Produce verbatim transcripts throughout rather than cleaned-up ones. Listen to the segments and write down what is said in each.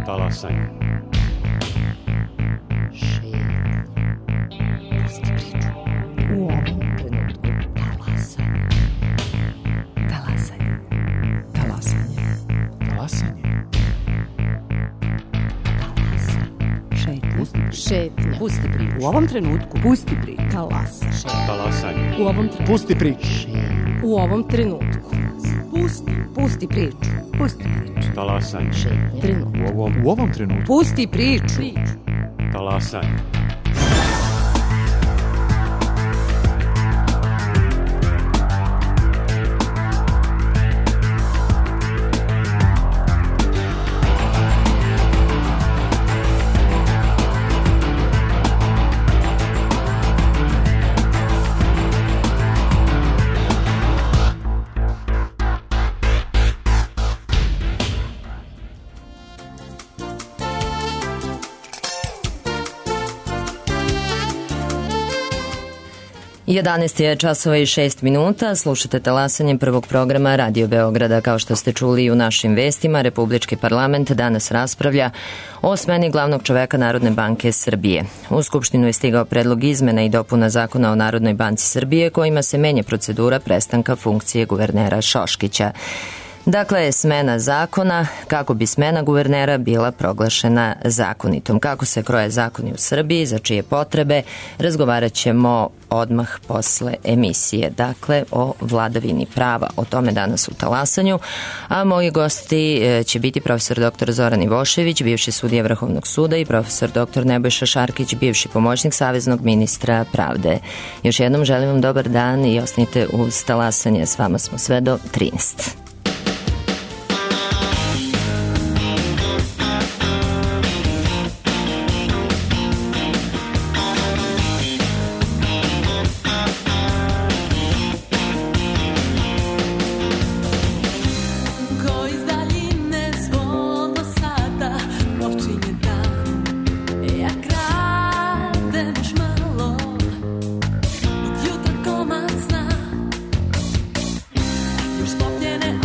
Talasanje. U ovom trenutku talasanje. Talasanje. Talasanje. Talasanje. Šetnja. Šetnja. Pusti priču. U ovom trenutku. Pusti priču. Talasa. Talasanje. U ovom trenutku. Pusti priču. U ovom trenutku. Pusti. Pusti priču. Pusti priču. Talasanje. Trenutku. U ovom, u ovom trenutku. Pusti priču. Talasanje. jedanaest je časova i šest minuta, slušate talasanje prvog programa Radio Beograda. Kao što ste čuli i u našim vestima, Republički parlament danas raspravlja o smeni glavnog čoveka Narodne banke Srbije. U Skupštinu je stigao predlog izmena i dopuna Zakona o Narodnoj banci Srbije kojima se menja procedura prestanka funkcije guvernera Šoškića. Dakle, smena zakona kako bi smena guvernera bila proglašena zakonitom. Kako se kroje zakoni u Srbiji, za čije potrebe, razgovarat ćemo odmah posle emisije. Dakle, o vladavini prava, o tome danas u Talasanju. A moji gosti će biti profesor doktor Zoran Ivošević, bivši sudija Vrhovnog suda, i profesor doktor Nebojša Šarkić, bivši pomoćnik saveznog ministra pravde. Još jednom želim vam dobar dan i ostanite uz Talasanje. S vama smo sve do trinaest. Już wspomniane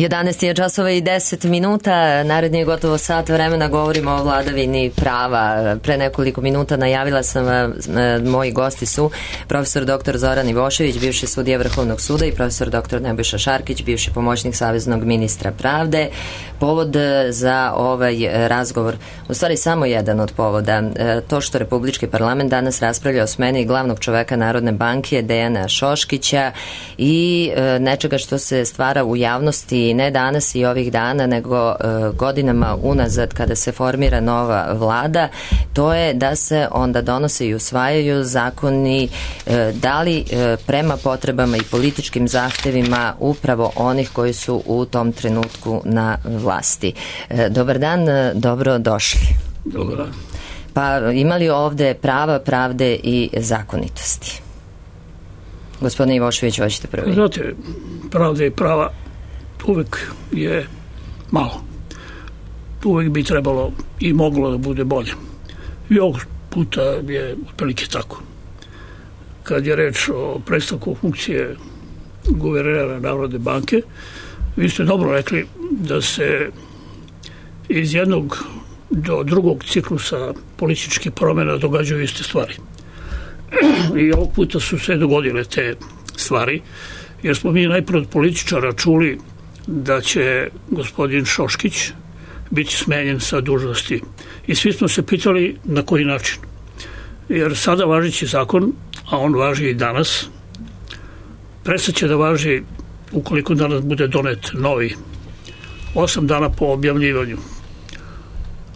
jedanaest je časova i deset minuta, naredni je gotovo sat vremena, govorimo o vladavini prava. Pre nekoliko minuta najavila sam, moji gosti su profesor doktor Zoran Ivošević, bivši sudija Vrhovnog suda, i profesor doktor Nebojša Šarkić, bivši pomoćnik saveznog ministra pravde. Povod za ovaj razgovor, u stvari samo jedan od povoda, to što Republički parlament danas raspravlja o smeni glavnog čoveka Narodne banke Dejana Šoškića i nečega što se stvara u javnosti ne danas i ovih dana, nego godinama unazad kada se formira nova vlada, to je da se onda donose i usvajaju zakoni da li prema potrebama i političkim zahtevima upravo onih koji su u tom trenutku na vlasti. Dobar dan, dobro došli. Dobar dan. Pa imali ovde prava, pravde i zakonitosti? Gospodine Ivošević, hoćete prvi? Znate, pravda i prava uvek je malo. Uvek bi trebalo i moglo da bude bolje. I ovog puta je otprilike tako. Kad je reč o prestanku funkcije guvernera Narodne banke, vi ste dobro rekli da se iz jednog do drugog ciklusa političkih promjena događaju iste stvari. I ovog puta su se dogodile te stvari, jer smo mi najprve od političara čuli da će gospodin Šoškić biti smenjen sa dužnosti. I svi smo se pitali na koji način. Jer sada važeći zakon, a on važi i danas, prestaće da važi ukoliko danas bude donet novi, osam dana po objavljivanju.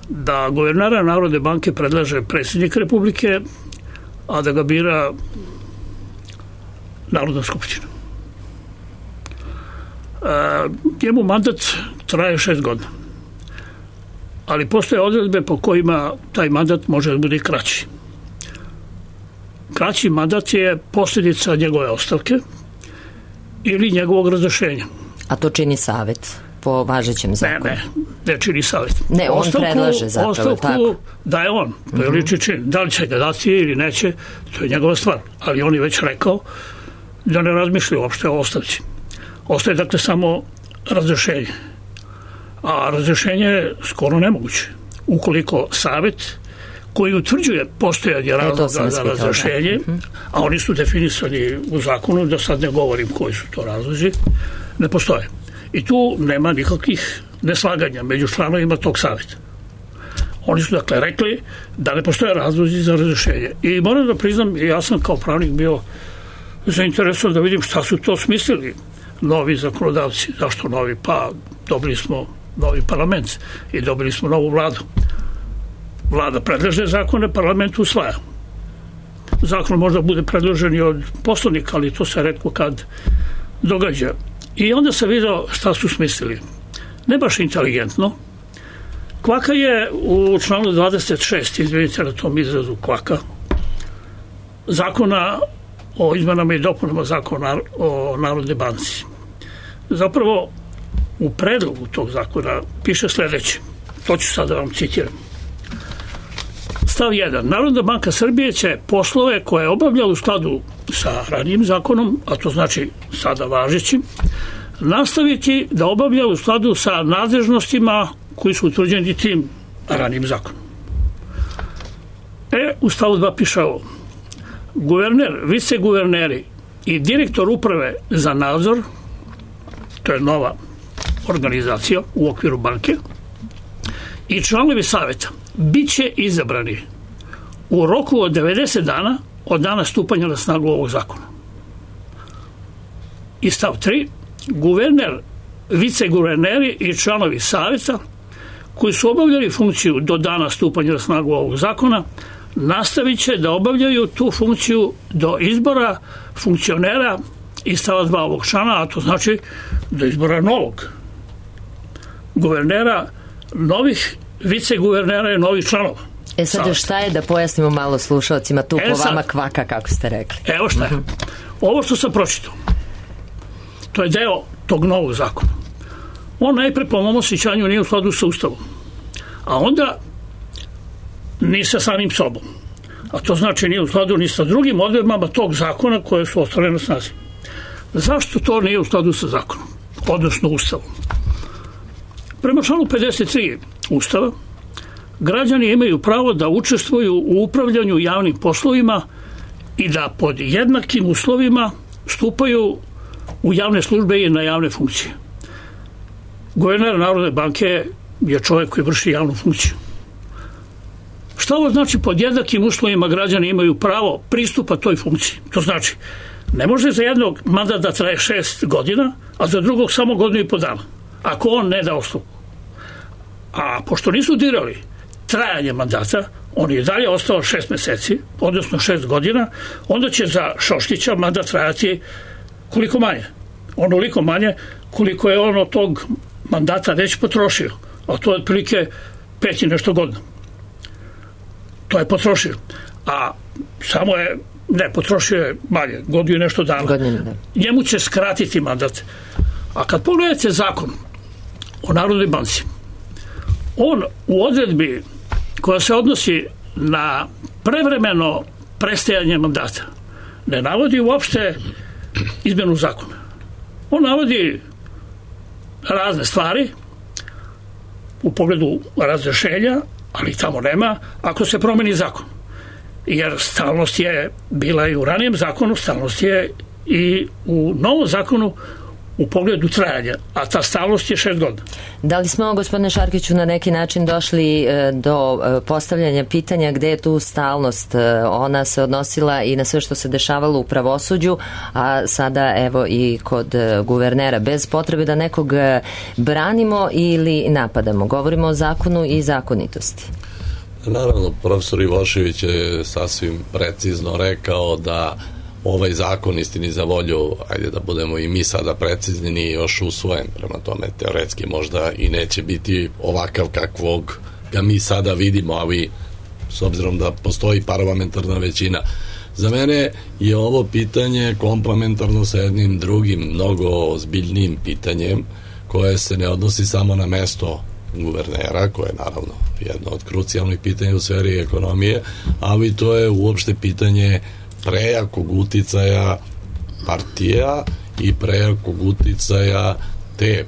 Da guvernera Narodne banke predlaže predsjednik Republike, a da ga bira Narodna skupština. E, njemu mandat traje šest godina. Ali postoje odredbe po kojima taj mandat može da bude kraći. Kraći mandat je posljedica njegove ostavke ili njegovog razrešenja. A to čini savjet po važećem zakonu? Ne, ne, ne čini savjet. Ne, on ostavku, predlaže zapravo, ostavku tako. Daje on, to je liči čin. Da li će ga dati ili neće, to je njegova stvar. Ali on je već rekao da ne razmišlja uopšte o ostavci. Ostaje dakle samo razrešenje. A razrešenje je skoro nemoguće. Ukoliko savjet koji utvrđuje postojanje razloga za razrešenje, a oni su definisani u zakonu, da sad ne govorim koji su to razlozi, ne postoje. I tu nema nikakvih neslaganja među članovima tog savjeta. Oni su dakle rekli da ne postoje razlozi za razrešenje. I moram da priznam, ja sam kao pravnik bio zainteresovan da vidim šta su to smislili novi zakonodavci. Zašto novi? Pa dobili smo novi parlament i dobili smo novu vladu. Vlada predlaže zakone, parlament usvaja. Zakon možda bude predložen i od poslanika, ali to se retko kad događa. I onda se vidio šta su smislili. Ne baš inteligentno. Kvaka je u članu dvadeset šest, izvinite na tom izrazu kvaka, zakona o izmenama i dopunama zakona o Narodnoj banci. Zapravo, u predlogu tog zakona piše sljedeće. To ću sad da vam citiram. Stav jedan. Narodna banka Srbije će poslove koje je obavljala u skladu sa ranijim zakonom, a to znači sada važećim, nastaviti da obavlja u skladu sa nadležnostima koji su utvrđeni tim ranijim zakonom. E, u stavu dva piše ovo. Guverner, viceguverneri i direktor uprave za nadzor, to je nova organizacija u okviru banke, i članovi savjeta bit će izabrani u roku od devedeset dana od dana stupanja na snagu ovog zakona. I stav tri. Guverner, viceguverneri i članovi savjeta koji su obavljali funkciju do dana stupanja na snagu ovog zakona nastavit će da obavljaju tu funkciju do izbora funkcionera iz stava dva ovog člana, a to znači do izbora novog guvernera, novih viceguvernera i novih članova. E sad, šta je, da pojasnimo malo slušalcima tu e, po vama kvaka, kako ste rekli? Evo šta je. Uh-huh. Ovo što sam pročitao, to je deo tog novog zakona. On najpre po mom osjećanju nije u skladu sa Ustavom, a onda ni sa samim sobom. A to znači nije u skladu ni sa drugim odredbama tog zakona koje su ostale na snazi. Zašto to nije u skladu sa zakonom, odnosno Ustavom? Prema članu pedeset tri Ustava, građani imaju pravo da učestvuju u upravljanju javnim poslovima i da pod jednakim uslovima stupaju u javne službe i na javne funkcije. Guverner Narodne banke je čovjek koji vrši javnu funkciju. Šta ovo znači pod jednakim uslovima građani imaju pravo pristupa toj funkciji? To znači, ne može za jednog mandat da traje šest godina, a za drugog samo godinu i po dana, ako on ne da ostavku. A pošto nisu dirali trajanje mandata, on je dalje ostao šest meseci, odnosno šest godina, onda će za Šoškića mandat trajati koliko manje? Onoliko manje koliko je on od tog mandata već potrošio, a to je otprilike pet i nešto godina. To je potrošio. A samo je, ne, potrošio je manje, godinu i nešto dana. Godinu, da. Njemu će skratiti mandat. A kad pogledate zakon o Narodnoj banci, on u odredbi koja se odnosi na prevremeno prestajanje mandata ne navodi uopšte izmjenu zakona. On navodi razne stvari u pogledu razrešenja, ali tamo nema ako se promeni zakon. Jer stalnost je bila i u ranijem zakonu, stalnost je i u novom zakonu u pogledu trajanja, a ta stalnost je šest godina. Da li smo, gospodine Šarkiću, na neki način došli do postavljanja pitanja gde je tu stalnost? Ona se odnosila i na sve što se dešavalo u pravosuđu, a sada evo i kod guvernera, bez potrebe da nekog branimo ili napadamo. Govorimo o zakonu i zakonitosti. Naravno, profesor Ivošević je sasvim precizno rekao da ovaj zakon, istini za volju, ajde da budemo i mi sada precizni, nije još usvojen, prema tome teoretski možda i neće biti ovakav kakvog ga mi sada vidimo, ali s obzirom da postoji parlamentarna većina. Za mene je ovo pitanje komplementarno sa jednim drugim, mnogo ozbiljnijim pitanjem, koje se ne odnosi samo na mesto guvernera, koje je naravno jedno od krucijalnih pitanja u sferi ekonomije, ali to je uopšte pitanje prejakog uticaja partija i prejakog uticaja te,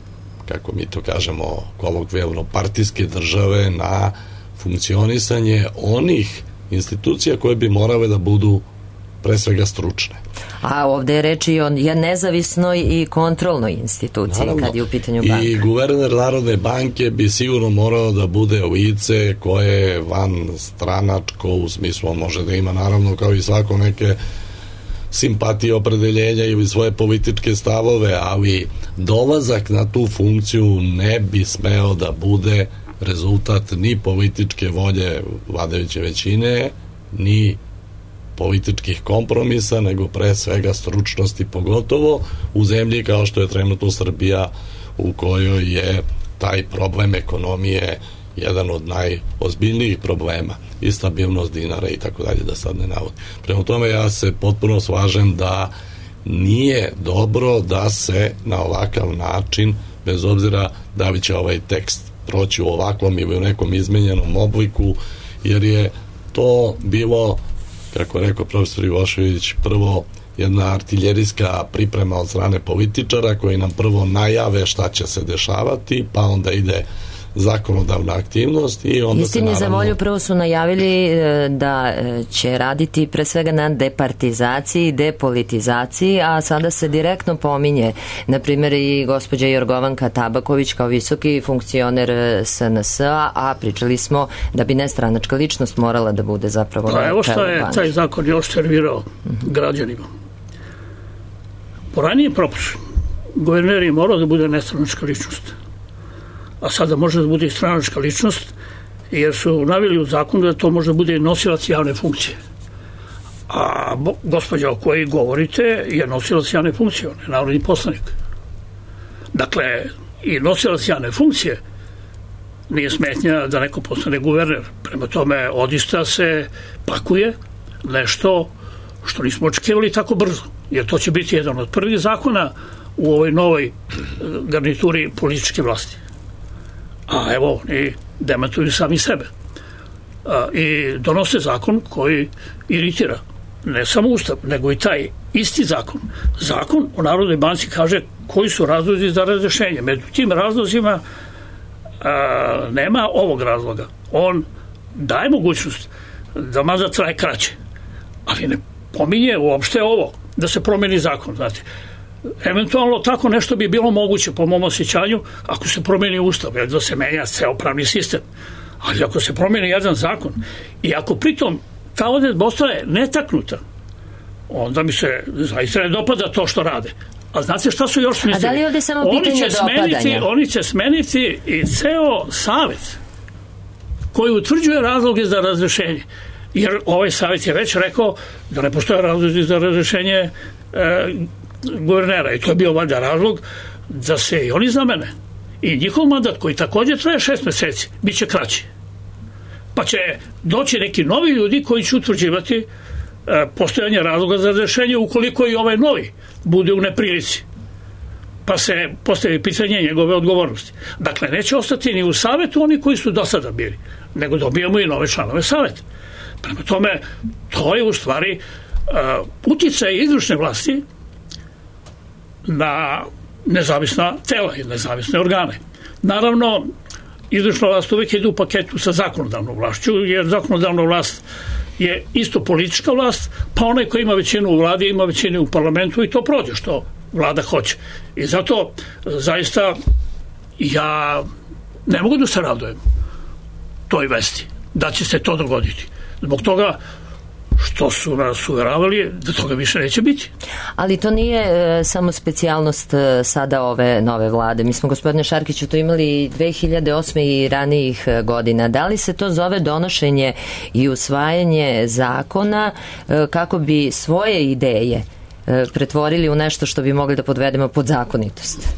kako mi to kažemo kolokvijalno, partijske države na funkcionisanje onih institucija koje bi morale da budu pre svega stručne. A ovde je reč i o nezavisnoj i kontrolnoj instituciji. Naravno, kad je u pitanju banka. I guverner Narodne banke bi sigurno morao da bude lice koje je van stranačko, u smislu on može da ima naravno kao i svako neke simpatije, opredeljenja ili svoje političke stavove, ali dolazak na tu funkciju ne bi smeo da bude rezultat ni političke volje vladajuće većine, ni političkih kompromisa, nego pre svega stručnosti, pogotovo u zemlji kao što je trenutno Srbija, u kojoj je taj problem ekonomije jedan od najozbiljnijih problema i stabilnost dinara i tako dalje, da sad ne navodim. Prema tome ja se potpuno slažem da nije dobro da se na ovakav način, bez obzira da li će ovaj tekst proći u ovakvom ili u nekom izmenjenom obliku, jer je to bilo, kako je rekao profesor Ivošević, prvo jedna artiljerijska priprema od strane političara koji nam prvo najave šta će se dešavati, pa onda ide zakonodavna aktivnost i onda Istini se naravno... za volju prvo su najavili da će raditi pre svega na departizaciji, depolitizaciji, a sada se direktno pominje, na primjer i gospođa Jorgovanka Tabaković kao visoki funkcioner S N S-a, a pričali smo da bi nestranačka ličnost morala da bude zapravo... Pa evo što je taj zakon još servirao uh-huh. građanima. Po ranije propusu guverner je morao da bude nestranačka ličnost, a sada može da bude i stranačka ličnost, jer su naveli u zakonu da to može da bude nosilac javne funkcije. A gospođa o kojoj govorite je nosilac javne funkcije, on je narodni poslanik. Dakle, i nosilac javne funkcije nije smetnja da neko postane guverner. Prema tome, odista se pakuje nešto što nismo očekivali tako brzo, jer to će biti jedan od prvih zakona u ovoj novoj garnituri političke vlasti. A evo, oni demantuju sami sebe. A, i donose zakon koji iritira ne samo Ustav, nego i taj isti zakon. Zakon o Narodnoj banci kaže koji su razlozi za razrešenje. Među tim razlozima a, nema ovog razloga. On daje mogućnost da mandat traje kraće, ali ne pominje uopšte ovo, da se promeni zakon, znate. Eventualno tako nešto bi bilo moguće po mom osjećanju ako se promeni ustav, jer da se menja ceo pravni sistem. Ali ako se promeni jedan zakon i ako pritom ta odredba ostaje netaknuta, onda mi se zaista ne dopada to što rade. A znate šta su još mislili? A da li je ovde samo pitanje dopadanja? Oni će smeniti i ceo savet koji utvrđuje razloge za razrešenje. Jer ovaj savet je već rekao da ne postoje razlozi za razrešenje e, guvernera. I to je bio valjda razlog da se i oni zamene. I njihov mandat, koji također traje šest meseci, bit će kraći. Pa će doći neki novi ljudi koji će utvrđivati e, postojanje razloga za razrešenje ukoliko i ovaj novi bude u neprilici. Pa se postavi pitanje njegove odgovornosti. Dakle, neće ostati ni u savetu oni koji su do sada bili, nego dobijemo i nove članove saveta. Prema tome, to je u stvari uh, uticaj izvršne vlasti na nezavisna tela i nezavisne organe. Naravno, izvršna vlast uvijek ide u paketu sa zakonodavnom vlašću, jer zakonodavna vlast je isto politička vlast, pa onaj koji ima većinu u vladi ima većinu u parlamentu i to prođe što vlada hoće. I zato zaista ja ne mogu da se radujem toj vesti da će se to dogoditi. Zbog toga što su nas uveravali da toga više neće biti. Ali to nije e, samo specijalnost e, sada ove nove vlade. Mi smo, gospodine Šarkiću, to imali dve hiljade osme i ranijih e, godina. Da li se to zove donošenje i usvajanje zakona e, kako bi svoje ideje e, pretvorili u nešto što bi mogli da podvedemo pod zakonitost?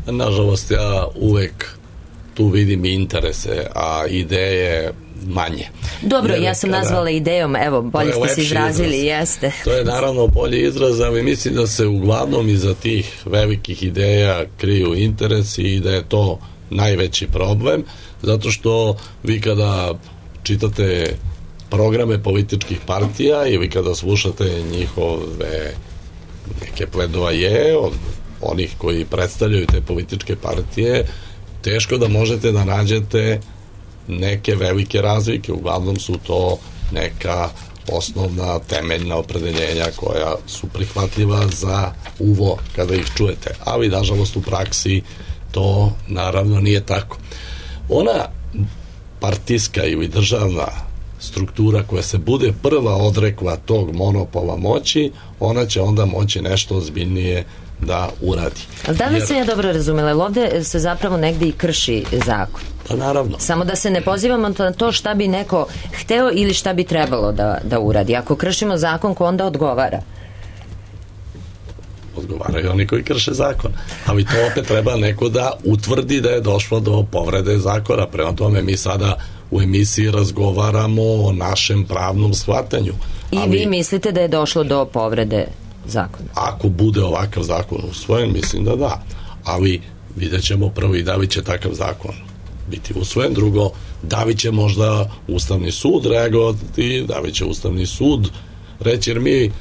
Nažalost, ja uvek tu vidim interese, a ideje manje. Dobro, Jer ja sam kada, nazvala idejom, evo, bolje ste se izrazili, izraz. jeste. To je naravno bolji izraz, ali mislim da se uglavnom iza tih velikih ideja kriju interesi i da je to najveći problem, zato što vi kada čitate programe političkih partija ili kada slušate njihove neke pledoaje od onih koji predstavljaju te političke partije, teško da možete da nađete neke velike razlike. Uglavnom su to neka osnovna temeljna opredeljenja koja su prihvatljiva za uvo kada ih čujete, ali nažalost u praksi to naravno nije tako. Ona partijska ili državna struktura koja se bude prva odrekla tog monopola moći, ona će onda moći nešto ozbiljnije da uradi. Ali da li Jer... se ja dobro razumela, jer ovde se zapravo negde i krši zakon? Pa naravno. Samo da se ne pozivamo na to šta bi neko hteo ili šta bi trebalo da, da uradi. Ako kršimo zakon, ko onda odgovara? Odgovaraju oni koji krše zakon. Ali to opet treba neko da utvrdi da je došlo do povrede zakona. Prema tome mi sada u emisiji razgovaramo o našem pravnom shvatanju. I ali, vi mislite da je došlo do povrede zakona? Ako bude ovakav zakon usvojen, mislim da da. Ali vidjet ćemo prvo i da li će takav zakon biti usvojen. Drugo, da li će možda Ustavni sud reagovati, da li će Ustavni sud reći, jer mi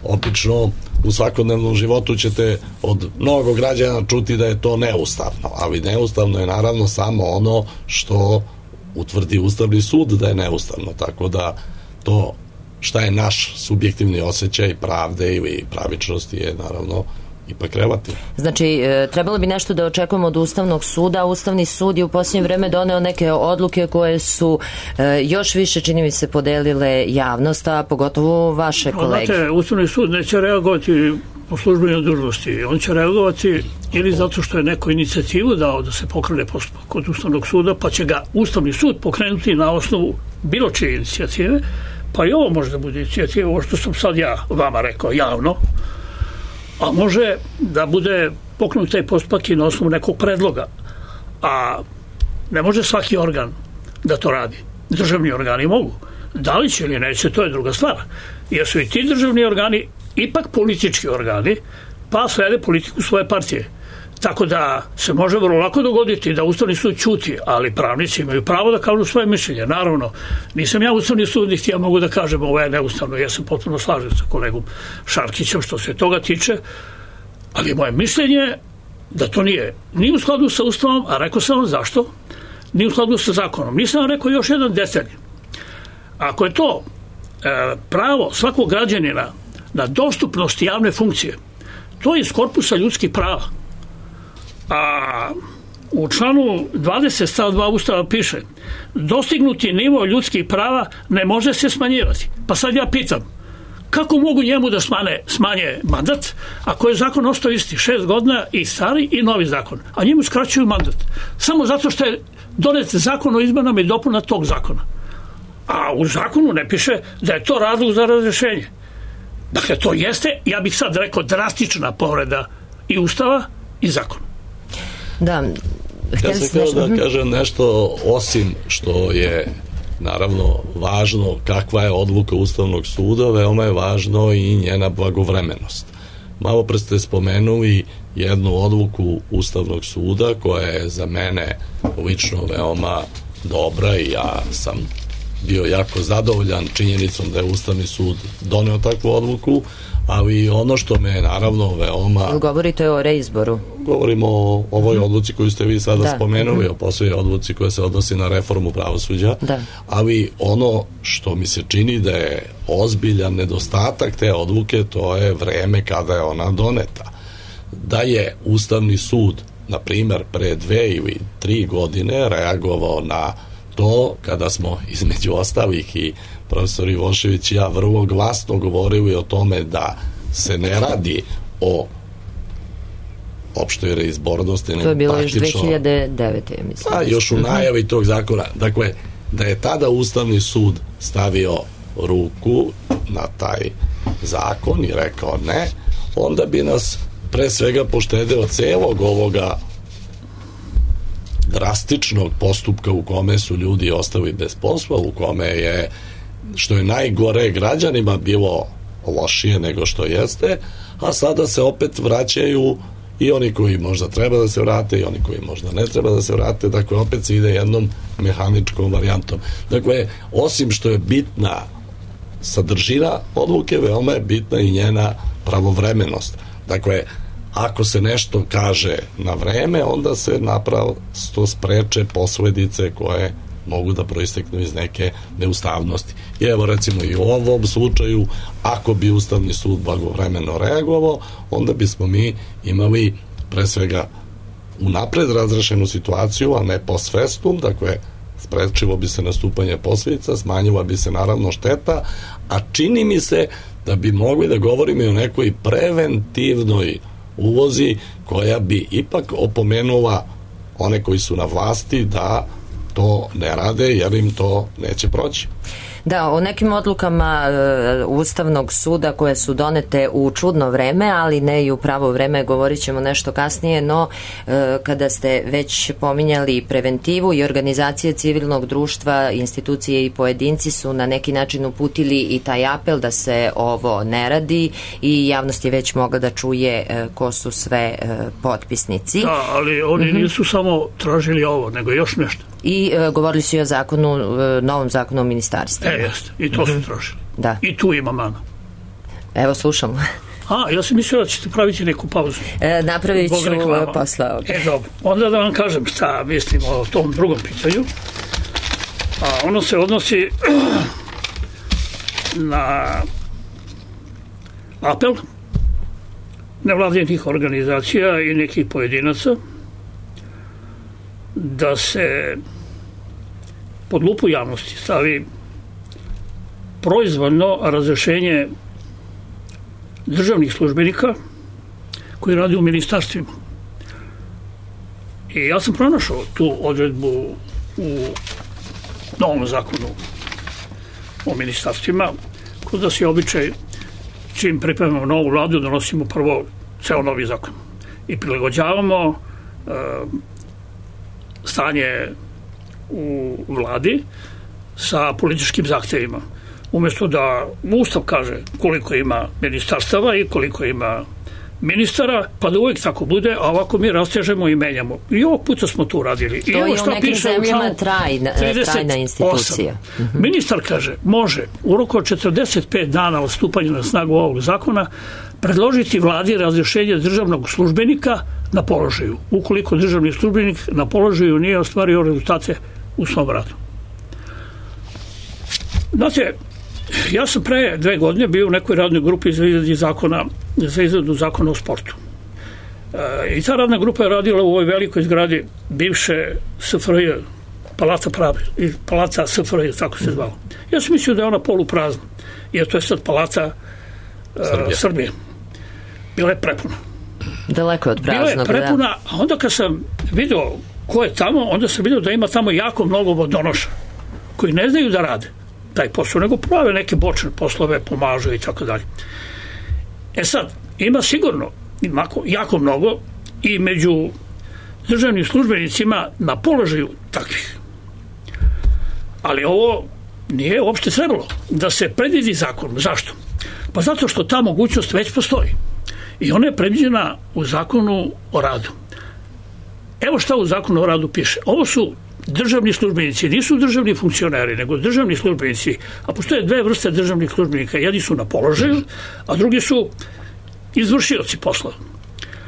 obično u svakodnevnom životu ćete od mnogo građana čuti da je to neustavno, ali neustavno je naravno samo ono što utvrdi Ustavni sud da je neustavno, tako da to šta je naš subjektivni osjećaj pravde ili pravičnosti je naravno ipak relativno. Znači, e, trebalo bi nešto da očekujemo od Ustavnog suda. Ustavni sud je u posljednje vreme doneo neke odluke koje su e, još više, čini mi se, podelile javnost, a pogotovo vaše kolege. Znate, Ustavni sud neće reagovati po službenoj dužnosti. On će reagovati ili zato što je neko inicijativu dao da se pokrene postupak kod Ustavnog suda, pa će ga Ustavni sud pokrenuti na osnovu bilo čije inicijative, pa i ovo može da bude inicijativa, ovo što sam sad ja vama rekao javno, a može da bude pokrenut taj postupak i na osnovu nekog predloga. A ne može svaki organ da to radi. Državni organi mogu. Da li će ili neće, to je druga stvar. Jer su i ti državni organi ipak politički organi, pa slede politiku svoje partije. Tako da se može vrlo lako dogoditi da Ustavni sud ćuti, ali pravnici imaju pravo da kažu svoje mišljenje. Naravno, nisam ja Ustavni sud, niti ja mogu da kažem ovo je neustavno. Ja sam potpuno slažem sa kolegom Šarkićem što se toga tiče, ali moje mišljenje da to nije ni u skladu sa Ustavom, a rekao sam vam zašto. nije u skladu sa zakonom. Nisam vam rekao još jedan detalj. Ako je to e, pravo svakog građanina na dostupnost javne funkcije, to je iz korpusa ljudskih prava. A u članu dvadeset stav dva Ustava piše: dostignuti nivo ljudskih prava ne može se smanjivati. Pa sad ja pitam, kako mogu njemu da smane, smanje mandat ako je zakon ostao isti, šest godina i stari i novi zakon, a njemu skraćuju mandat samo zato što je donet zakon o izmenama i dopuna tog zakona, a u zakonu ne piše da je to razlog za razrešenje. Dakle, to jeste, ja bih sad rekao, drastična povreda i Ustava i zakona. Da, ja sam htio da kažem nešto, osim što je naravno važno kakva je odluka Ustavnog suda, veoma je važno i njena blagovremenost. Malo pre ste spomenuli jednu odluku Ustavnog suda koja je za mene lično veoma dobra i ja sam bio jako zadovoljan činjenicom da je Ustavni sud doneo takvu odluku, ali ono što me je naravno veoma... Govorite o reizboru. Govorimo o ovoj odluci koju ste vi sada da. spomenuli, o posljednjoj odluci koja se odnosi na reformu pravosuđa, da. Ali ono što mi se čini da je ozbiljan nedostatak te odluke, to je vreme kada je ona doneta. Da je Ustavni sud, na primjer, pre dve ili tri godine reagovao na to, kada smo između ostalih i profesor Ivošević i ja vrlo glasno govorili o tome da se ne radi o opštoj reizbornosti. To je bilo još dve hiljade devete. mislim. A, još u najavi tog zakona. Dakle, da je tada Ustavni sud stavio ruku na taj zakon i rekao ne, onda bi nas pre svega poštedeo celog ovoga drastičnog postupka u kome su ljudi ostali bez posla, u kome je, što je najgore, građanima bilo lošije nego što jeste, a sada se opet vraćaju i oni koji možda treba da se vrate i oni koji možda ne treba da se vrate, dakle opet se ide jednom mehaničkom varijantom. Dakle, osim što je bitna sadržina odluke, veoma je bitna i njena pravovremenost. Dakle, ako se nešto kaže na vreme, onda se naprosto spreče posledice koje mogu da proisteknu iz neke neustavnosti. I evo recimo i u ovom slučaju, ako bi Ustavni sud blagovremeno reagovao, onda bismo mi imali pre svega unapred razrešenu situaciju, a ne post festum, dakle sprečilo bi se nastupanje posledica, smanjila bi se naravno šteta, a čini mi se da bi mogli da govorimo i o nekoj preventivnoj ulozi koja bi ipak opomenula one koji su na vlasti da to ne rade, jer im to neće proći. Da, o nekim odlukama e, Ustavnog suda koje su donete u čudno vreme, ali ne i u pravo vreme, govorit ćemo nešto kasnije, no e, kada ste već pominjali preventivu i organizacije civilnog društva, institucije i pojedinci su na neki način uputili i taj apel da se ovo ne radi i javnost je već mogla da čuje e, ko su sve e, potpisnici. Da, ali oni mm-hmm. nisu samo tražili ovo, nego još nešto. I e, govorili su i o zakonu, e, novom zakonu o ministarstvu. E, jeste. I to su tražili. Da. I tu ima mana. Evo, slušamo. A, ja sam mislio da ćete praviti neku pauzu. E, napravit ću posle ovdje. E, dobro. Onda da vam kažem šta mislim o tom drugom pitanju. A ono se odnosi na apel nevladinih organizacija i nekih pojedinaca da se pod lupu javnosti stavi proizvoljno razrešenje državnih službenika koji radi u ministarstvima. I ja sam pronašao tu odredbu u novom zakonu o ministarstvima, kod da se običaj čim pripremamo novu vladu donosimo prvo ceo novi zakon i prilagođavamo uh, stanje u vladi sa političkim zahtjevima. Umjesto da Ustav kaže koliko ima ministarstava i koliko ima ministara, pa da uvijek tako bude, a ovako mi rastežemo i menjamo. I ovog puta smo tu radili. To I je u nekim zemljama trajna, trajna institucija. Uh-huh. Ministar kaže, može u roku od četrdeset pet dana od stupanja na snagu ovog zakona predložiti vladi razrješenje državnog službenika na položaju, ukoliko državni službenik na položaju nije ostvario rezultate u svom radu. Znate, ja sam pre dve godine bio u nekoj radnoj grupi za izradu zakona, za izradu zakona o sportu. E, I ta radna grupa je radila u ovoj velikoj zgradi bivše S F R J, Palata Pravde, Palata S F R J, tako se zvalo. Ja sam mislio da je ona poluprazna, jer to je sad Palata Srbije. Srbije. Bila je prepuna. Daleko od praznog. Bila je prepuna, a onda kad sam vidio ko je tamo, onda sam vidio da ima tamo jako mnogo vodonoša koji ne znaju da rade taj posao, nego prave neke bočne poslove, pomažu i tako dalje. E sad, ima sigurno ima jako mnogo i među državnim službenicima na položaju takvih. Ali ovo nije uopšte trebalo da se predvidi zakon. Zašto? Pa zato što ta mogućnost već postoji. I ona je predviđena u zakonu o radu. Evo šta u zakonu o radu piše. Ovo su državni službenici, nisu državni funkcioneri, nego državni službenici. A postoje dve vrste državnih službenika. Jedni su na položaju, a drugi su izvršioci posla.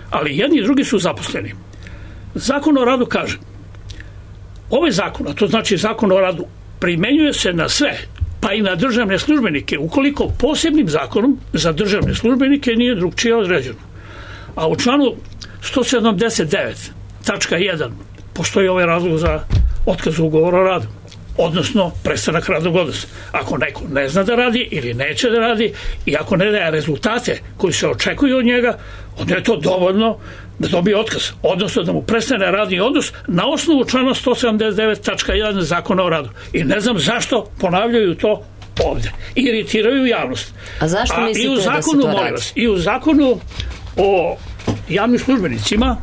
Ali jedni i drugi su zaposleni. Zakon o radu kaže, ovaj zakon, a to znači zakon o radu, primenjuje se na sve, pa i na državne službenike, ukoliko posebnim zakonom za državne službenike nije drugčije određeno. A u članu sto sedamdeset devet tačka jedan postoji ovaj razlog za otkaz ugovora o radu, odnosno prestanak radnog odnosa. Ako neko ne zna da radi ili neće da radi i ako ne daje rezultate koji se očekuju od njega, onda je to dovoljno da dobije otkaz, odnosno da mu prestane radni odnos na osnovu člana sto sedamdeset devet tačka jedan zakona o radu. I ne znam zašto ponavljaju to ovde. Iritiraju javnost. A zašto mislite da se to radi? I u zakonu, molim vas, i u zakonu o javnim službenicima,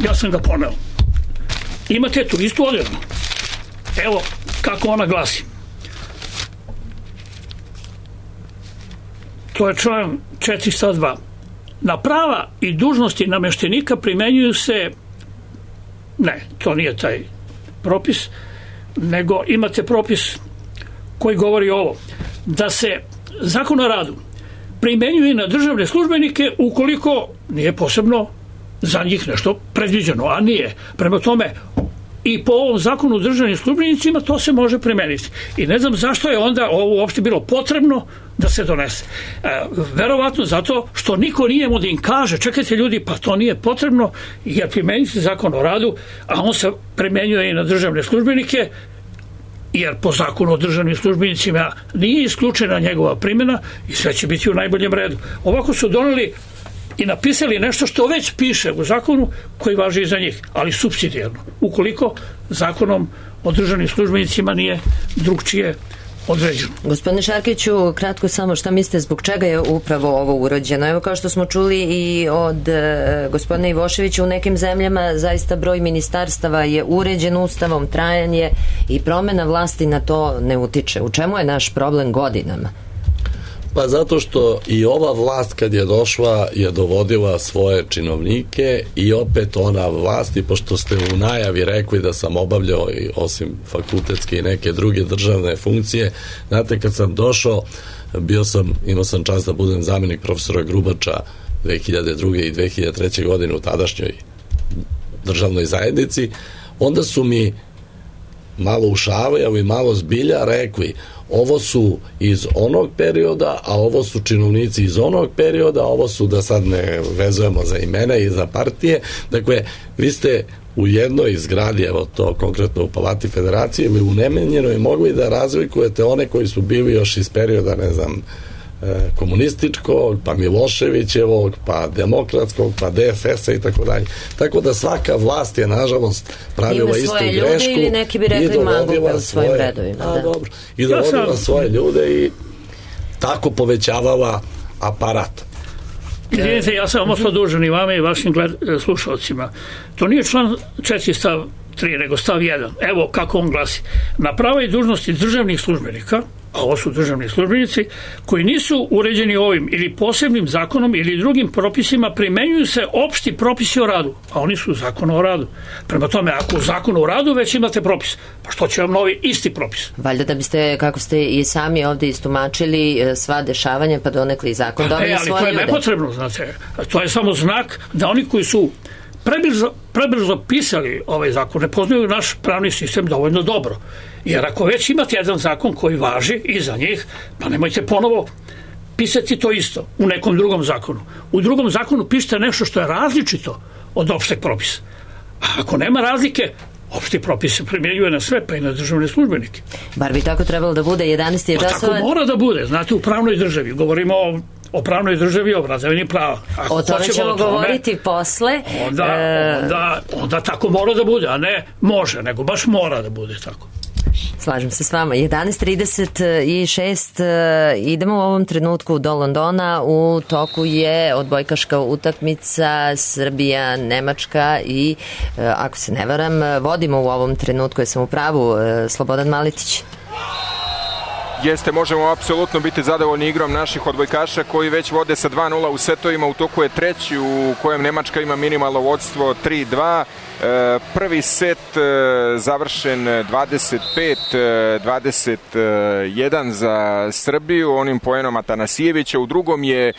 ja sam ga poneo, imate tu istu odredbu. Evo kako ona glasi. To je član četiristo dva. Na prava i dužnosti nameštenika primenjuju se, ne, to nije taj propis, nego imate propis koji govori ovo, da se zakon o radu primenjuje na državne službenike ukoliko nije posebno za njih nešto predviđeno, a nije. Prema tome, i po ovom zakonu o državnim službenicima to se može primeniti. I ne znam zašto je onda ovo uopšte bilo potrebno da se donese. E, verovatno zato što niko nije mu da im kaže, čekajte ljudi, pa to nije potrebno, jer primeniti zakon o radu, a on se primenjuje i na državne službenike, jer po zakonu o državnim službenicima nije isključena njegova primjena i sve će biti u najboljem redu. Ovako su doneli i napisali nešto što već piše u zakonu koji važi i za njih, ali supsidijarno, ukoliko zakonom o državnim službenicima nije drugčije određeno. Gospodine Šarkiću, kratko samo šta mislite zbog čega je upravo ovo urađeno? Evo kao što smo čuli i od e, gospodina Ivoševića, u nekim zemljama zaista broj ministarstava je uređen ustavom, trajanje i promena vlasti na to ne utiče. U čemu je naš problem godinama? Pa zato što i ova vlast kad je došla je dovodila svoje činovnike i opet ona vlast, i pošto ste u najavi rekli da sam obavljao i osim fakultetske i neke druge državne funkcije, znate kad sam došao bio sam, imao sam čast da budem zamjenik profesora Grubača dve hiljade druge. i dve hiljade treće. godine u tadašnjoj državnoj zajednici, onda su mi malo u šali, ali malo zbilja rekli, ovo su iz onog perioda, a ovo su činovnici iz onog perioda, a ovo su, da sad ne vezujemo za imena i za partije. Dakle, vi ste u jednoj zgradi, evo to konkretno u Palati Federacije ili u Nemenjenoj, mogli da razlikujete one koji su bili još iz perioda, ne znam, komunističkog, pa Miloševićevog, pa demokratskog, pa D F S-a i tako dalje. Tako da svaka vlast je, nažalost, pravila istu grešku. Ili neki bi rekli mangupe u svojim redovima. A, dobro. I dovodila ja svoje ljude i tako povećavala aparat. Izvinite, ja sam ostao dužan i vama i vašim slušalcima. To nije član četiri stav tri, nego stav jedan. Evo kako on glasi. Na prava i dužnosti državnih službenika a ovo su državni službenici, koji nisu uređeni ovim ili posebnim zakonom ili drugim propisima, primenjuju se opšti propisi o radu, a oni su zakon o radu. Prema tome, ako u zakonu o radu već imate propis, pa što će vam novi isti propis? Valjda da biste, kako ste i sami ovde istumačili, sva dešavanja, pa donekli i zakon dobili e, svoje ljude. Ali to je nepotrebno, znate. To je samo znak da oni koji su prebrzo, prebrzo pisali ovaj zakon ne poznaju naš pravni sistem dovoljno dobro. Jer ako već imate jedan zakon koji važi i za njih, pa nemojte ponovo pisati to isto u nekom drugom zakonu. U drugom zakonu pišite nešto što je različito od opšteg propisa. A ako nema razlike, opšti propis se primjenjuje na sve, pa i na državne službenike. Bar bi tako trebalo da bude, jedanaest je časova. Pa tako mora da bude, znate, u pravnoj državi. Govorimo o, o pravnoj državi, o vladavini prava. Ako o tome ćemo o tome, govoriti posle. Onda, e... onda, onda tako mora da bude, a ne može, nego baš mora da bude tako. Slažem se s vama. jedanaest trideset šest idemo u ovom trenutku do Londona. U toku je odbojkaška utakmica Srbija-Nemačka i, ako se ne varam, vodimo u ovom trenutku, jesam u pravu, Slobodan Maletić. Jeste, možemo apsolutno biti zadovoljni igrom naših odbojkaša koji već vode sa dva nula u setovima. U toku je treći u kojem Nemačka ima minimalno vodstvo tri dva. Prvi set završen dvadeset pet dvadeset jedan za Srbiju onim poenom Atanasijevića. U drugom je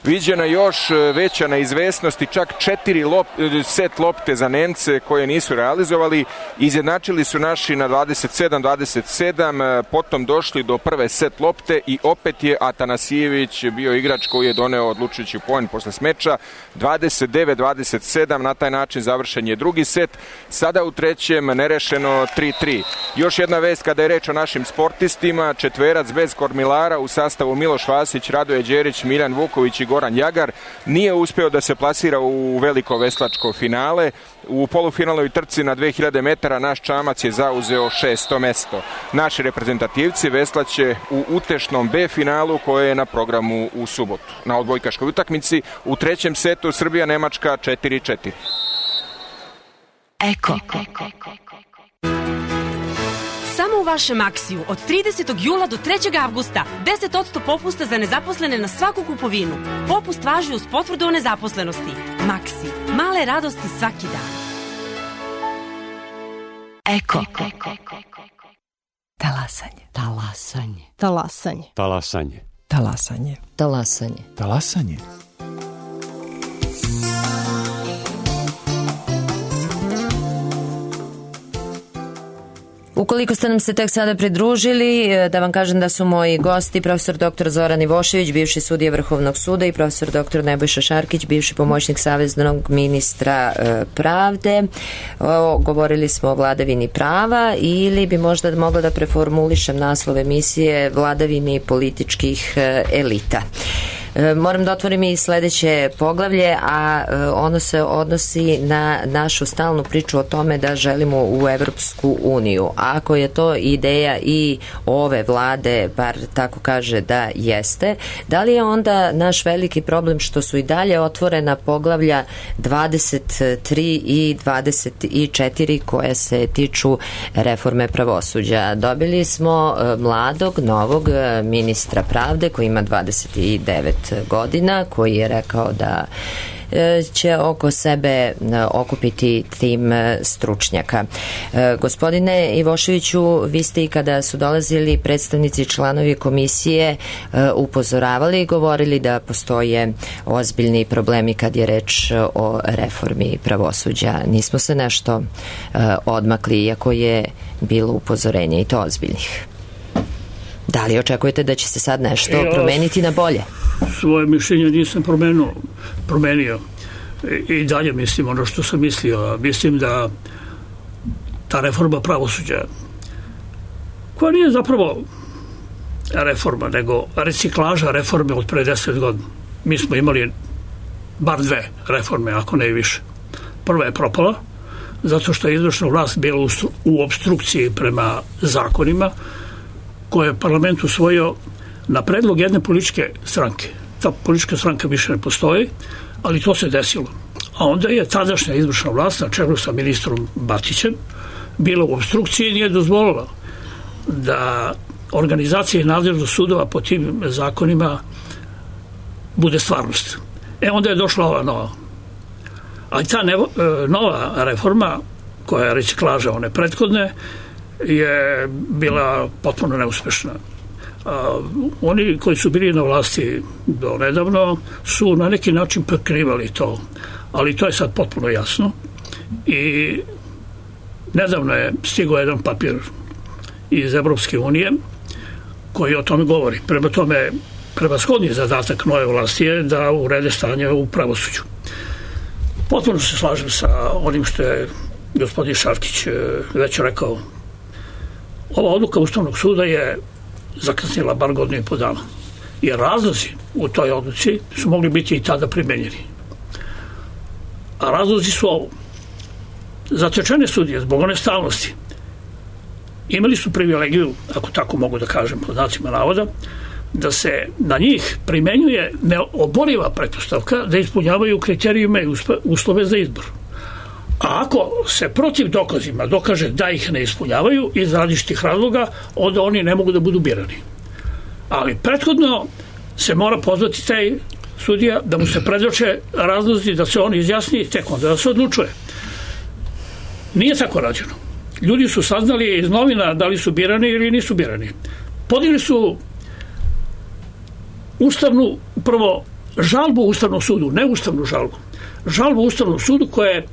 viđena još veća neizvesnost i čak četiri lop, set lopte za Nemce koje nisu realizovali. Izjednačili su naši na dvadeset sedam dvadeset sedam, potom došli do prve set lopte i opet je Atanasijević bio igrač koji je doneo odlučujući poen posle smeča. dvadeset devet dvadeset sedam, na taj način završen je drugi set. Sada u trećem nerešeno tri tri. Još jedna vest kada je reč o našim sportistima, četverac bez kormilara u sastavu Miloš Vasić, Radoje Đerić, Miljan Vuković i Goran Jagar nije uspeo da se plasira u veliko veslačko finale. U polufinalnoj trci na dve hiljade metara naš čamac je zauzeo šesto mesto. Naši reprezentativci veslaće u utešnom B finalu koje je na programu u subotu. Na odbojkaškoj utakmici u trećem setu Srbija-Nemačka četiri četiri. Eko. Samo u vašem Maksiju od tridesetog jula do trećeg avgusta deset posto popusta za nezaposlene na svaku kupovinu. Popust važi uz potvrdu o nezaposlenosti. Maksi. Male radosti svaki dan. Eko. Talasanje. Talasanje. Talasanje. Talasanje. Talasanje. Talasanje. Talasanje. Ukoliko ste nam se tek sada pridružili, da vam kažem da su moji gosti profesor doktor Zoran Ivošević, bivši sudija Vrhovnog suda, i profesor doktor Nebojša Šarkić, bivši pomoćnik saveznog ministra pravde. O, govorili smo o vladavini prava, ili bi možda mogla da preformulišem naslov emisije vladavini političkih elita. Moram da otvorim i sledeće poglavlje, a ono se odnosi na našu stalnu priču o tome da želimo u Evropsku uniju. Ako je to ideja i ove vlade, bar tako kaže da jeste, da li je onda naš veliki problem što su i dalje otvorena poglavlja dvadeset tri i dvadeset četiri koje se tiču reforme pravosuđa? Dobili smo mladog, novog ministra pravde koji ima dvadeset devet godina, koji je rekao da će oko sebe okupiti tim stručnjaka. Gospodine Ivoševiću, vi ste i kada su dolazili predstavnici članovi komisije upozoravali i govorili da postoje ozbiljni problemi kad je reč o reformi pravosuđa. Nismo se nešto odmakli, iako je bilo upozorenje i to ozbiljnih. Da li očekujete da će se sad nešto ja, promeniti na bolje? Svoje mišljenje nisam promenio, promenio. I, i dalje mislim ono što sam mislio. Mislim da ta reforma pravosuđa, koja nije zapravo reforma, nego reciklaža reforme od pre deset godina. Mi smo imali bar dve reforme, ako ne i više. Prva je propala, zato što je izvršna vlast bila u, u obstrukciji prema zakonima koje je parlament usvojio na predlog jedne političke stranke. Ta politička stranka više ne postoji, ali to se desilo. A onda je tadašnja izvršna vlast na čelu sa ministrom Batićem bila u obstrukciji i nije dozvolila da organizacija i nadležnost sudova po tim zakonima bude stvarnost. E onda je došla ova nova. Ali ta nevo, nova reforma, koja je reciklaža one prethodne, je bila potpuno neuspešna. A, oni koji su bili na vlasti do nedavno su na neki način prekrivali to, ali to je sad potpuno jasno. I nedavno je stigao jedan papir iz Evropske unije koji o tome govori. Prema tome, prevashodni zadatak nove vlasti je da urede stanje u pravosuđu. Potpuno se slažem sa onim što je gospodin Šarkić već rekao. Ova odluka Ustavnog suda je zakasnila bar godinu i po dana. Jer razlozi u toj odluci su mogli biti i tada primenjeni. A razlozi su ovo. Zatečene sudije, zbog one stalnosti, imali su privilegiju, ako tako mogu da kažem po znacima navoda, da se na njih primenjuje neoboriva pretpostavka da ispunjavaju kriterijume i uslove za izbor. A ako se protiv dokazima dokaže da ih ne ispunjavaju iz različitih razloga, onda oni ne mogu da budu birani. Ali prethodno se mora pozvati taj sudija da mu se predoče razlozi, da se on izjasni i tek onda da se odlučuje. Nije tako rađeno. Ljudi su saznali iz novina da li su birani ili nisu birani. Podigli su ustavnu, prvo, žalbu Ustavnom sudu, ne ustavnu žalbu, žalbu Ustavnom sudu koja je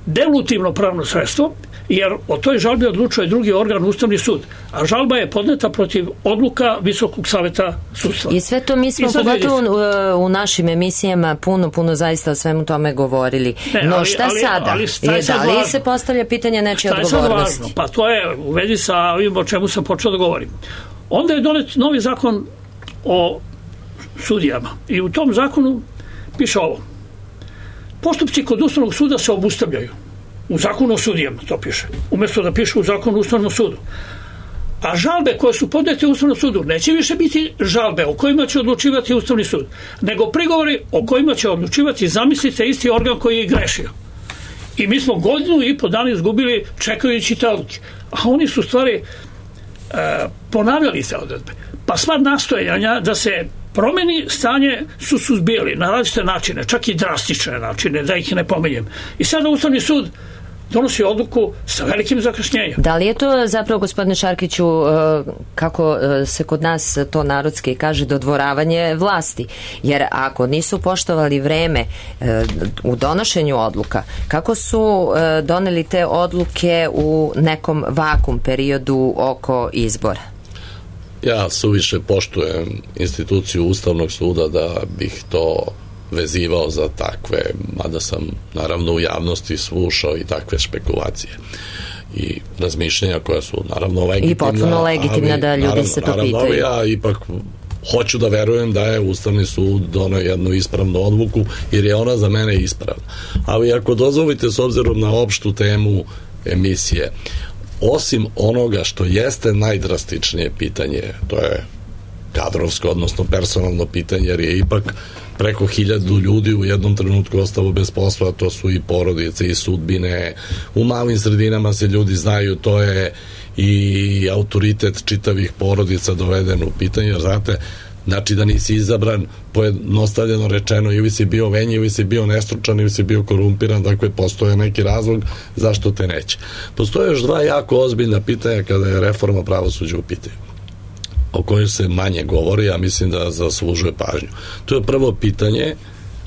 delutivno pravno sredstvo, jer o toj žalbi odlučuje drugi organ, Ustavni sud, a žalba je podneta protiv odluka Visokog saveta sudstva. I sve to mi smo pogotovo u, u našim emisijama puno, puno zaista o svemu tome govorili. Ne, no ali, šta ali, sada? Ali, ali je, da li važno? Se postavlja pitanje nečije odgovornosti? Šta je sad važno? Pa to je u vezi sa ovim o čemu sam počeo da govorim. Onda je donet novi zakon o sudijama i u tom zakonu piše ovo. Postupci kod Ustavnog suda se obustavljaju. U zakonu o sudijama to piše. Umjesto da piše u zakonu o Ustavnom sudu. A žalbe koje su podnete u Ustavnom sudu neće više biti žalbe o kojima će odlučivati Ustavni sud, nego prigovori o kojima će odlučivati, zamislite, isti organ koji je grešio. I mi smo godinu i po dana izgubili čekajući te odluke. A oni su stvari e, ponavljali te odredbe. Pa sva nastojanja da se promeni stanje su suzbijali na različite načine, čak i drastične načine, da ih ne pomenjem. I sada Ustavni sud donosi odluku sa velikim zakašnjenjem. Da li je to zapravo, gospodine Šarkiću, kako se kod nas to narodski kaže, dodvoravanje vlasti? Jer ako nisu poštovali vreme u donošenju odluka, kako su doneli te odluke u nekom vakum periodu oko izbora? Ja suviše poštujem instituciju Ustavnog suda da bih to vezivao za takve, mada sam naravno u javnosti slušao i takve špekulacije i razmišljenja koja su naravno legitimna. I potpuno legitimna, da ljudi naravno, se to naravno, pitaju. Ja ipak hoću da verujem da je Ustavni sud doneo jednu ispravnu odluku, jer je ona za mene ispravna. Ali ako dozvolite, s obzirom na opštu temu emisije, osim onoga što jeste najdrastičnije pitanje, to je kadrovsko, odnosno personalno pitanje, jer je ipak preko hiljadu ljudi u jednom trenutku ostalo bez posla, to su i porodice i sudbine, u malim sredinama se ljudi znaju, to je i autoritet čitavih porodica doveden u pitanje, jer znate, znači da nisi izabran, pojednostavljeno rečeno, ili si bio venji, ili si bio nestručan, ili si bio korumpiran, dakle postoje neki razlog zašto te neće. Postoje još dva jako ozbiljna pitanja kada je reforma pravosuđa u pitanju, o kojoj se manje govori, a mislim da zaslužuje pažnju. To je prvo pitanje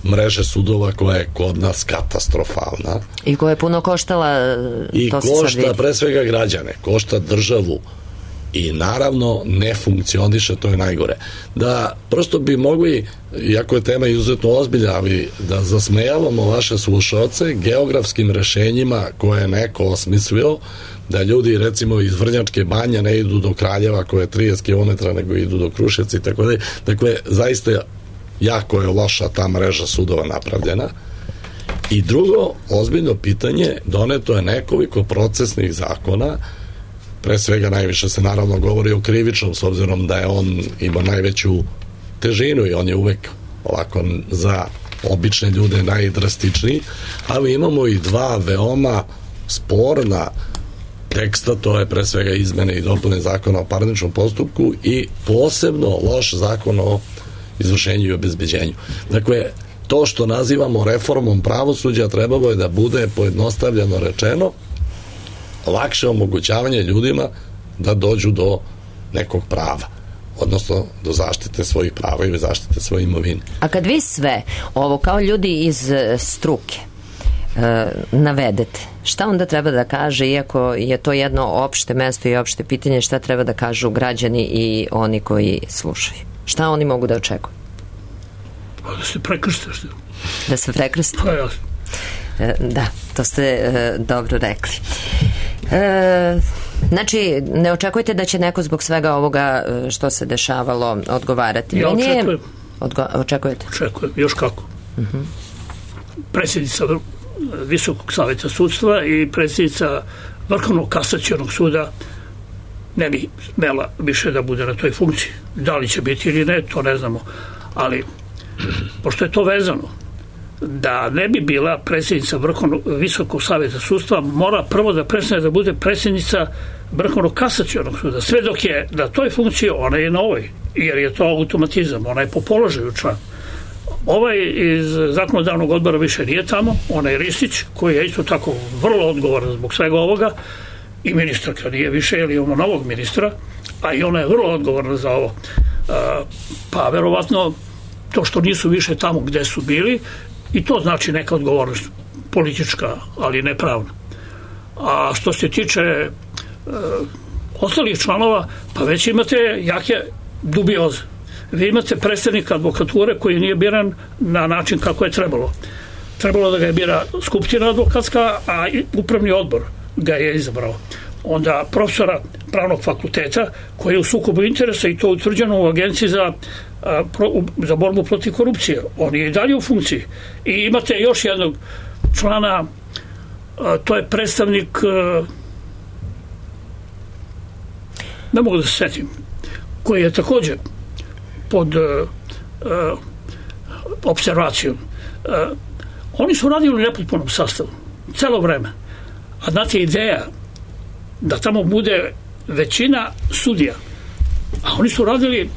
mreže sudova koja je kod nas katastrofalna. I koja je puno koštala, i to se košta sad vidi. Pre svega građane, košta državu i naravno ne funkcioniše, to je najgore. Da prosto bi mogli, iako je tema izuzetno ozbiljna, ali da zasmejavamo vaše slušaoce geografskim rešenjima koje je neko osmislio, da ljudi recimo iz Vrnjačke Banje ne idu do Kraljeva koje je trideset kilometara, nego idu do Kruševca i tako dalje. Dakle, zaista jako je loša ta mreža sudova napravljena. I drugo, ozbiljno pitanje, doneto je nekoliko procesnih zakona, pre svega najviše se naravno govori o krivičnom, s obzirom da je on ima najveću težinu i on je uvek ovako za obične ljude najdrastičniji, ali imamo i dva veoma sporna teksta, to je pre svega izmene i dopune zakona o parničnom postupku i posebno loš zakon o izvršenju i obezbeđenju. Dakle, to što nazivamo reformom pravosuđa trebalo je da bude, pojednostavljeno rečeno, lakše omogućavanje ljudima da dođu do nekog prava, odnosno do zaštite svojih prava ili zaštite svoje imovine. A kad vi sve ovo kao ljudi iz struke e, navedete, šta onda treba da kaže, iako je to jedno opšte mesto i opšte pitanje, šta treba da kažu građani i oni koji slušaju? Šta oni mogu da očekuju? Pa da se prekrste. Što? Da se prekrste? Pa jasno. E, da, to ste e, dobro rekli. E, znači, ne očekujete da će neko zbog svega ovoga što se dešavalo odgovarati? Ja Meni očekujem. Je... Odgo... Očekujete? Očekujem, još kako. Uh-huh. Predsjednica Visokog savjeta sudstva i predsjednica Vrhovnog kasacionog suda ne bi smela više da bude na toj funkciji. Da li će biti ili ne, to ne znamo. Ali, pošto je to vezano, da ne bi bila predsjednica Vrhovnog Visokog savjeta sudstva, mora prvo da prestane da bude predsjednica Vrhovnog kasacionog suda. Sve dok je na toj funkciji, ona je na ovoj, jer je to automatizam, ona je po položaju član. Ovaj iz zakonodavnog odbora više nije tamo, ona je Ristić, koji je isto tako vrlo odgovoran zbog svega ovoga, i ministarka nije više, jer imamo novog ministra, a i ona je vrlo odgovorna za ovo. Pa verovatno to što nisu više tamo gde su bili, i to znači neka odgovornost politička, ali ne pravna. A što se tiče e, ostalih članova, pa već imate jake dubioze. Vi imate predstavnika advokature koji nije biran na način kako je trebalo. Trebalo da ga je bira skupština advokatska, a upravni odbor ga je izabrao. Onda profesora pravnog fakulteta koji je u sukobu interesa, i to utvrđeno u Agenciji za, a, pro, za borbu protiv korupcije. On je i dalje u funkciji. I imate još jednog člana, a, to je predstavnik, a, ne mogu da se setim, koji je također pod a, a, observacijom. A, oni su radili u nepotpunom sastavu celo vreme. A znate, ideja da tamo bude većina sudija, a oni su radili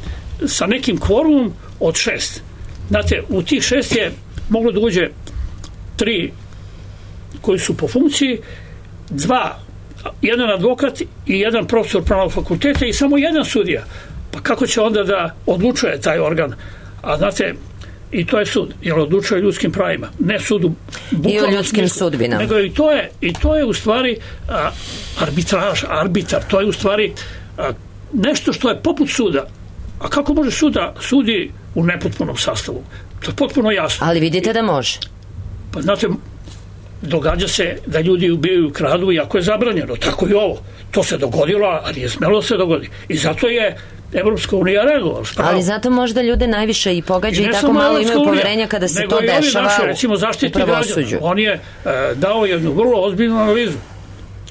sa nekim kvorumom od šest. Znate, u tih šest je moglo da uđe tri koji su po funkciji, dva, jedan advokat i jedan profesor pravnog fakulteta i samo jedan sudija. Pa kako će onda da odlučuje taj organ? A znate, i to je sud, jer odlučuje ljudskim pravima, ne sudu i o ljudskim sudbinama, nego i to je, i to je u stvari a, arbitraž, arbitar, to je u stvari a, nešto što je poput suda. A kako može suda sudi u nepotpunom sastavu? To je potpuno jasno. Ali vidite da može. Pa znate, događa se da ljudi ubijaju, kradu, iako je zabranjeno, tako i ovo. To se dogodilo, a nije smelo da se dogodi. I zato je Evropska unija reagovala. Ali zato možda ljude najviše i pogađa i, i tako malo imaju poverenja kada se to dešava naši, recimo, u pravosuđu. On je uh, dao jednu vrlo ozbiljnu analizu.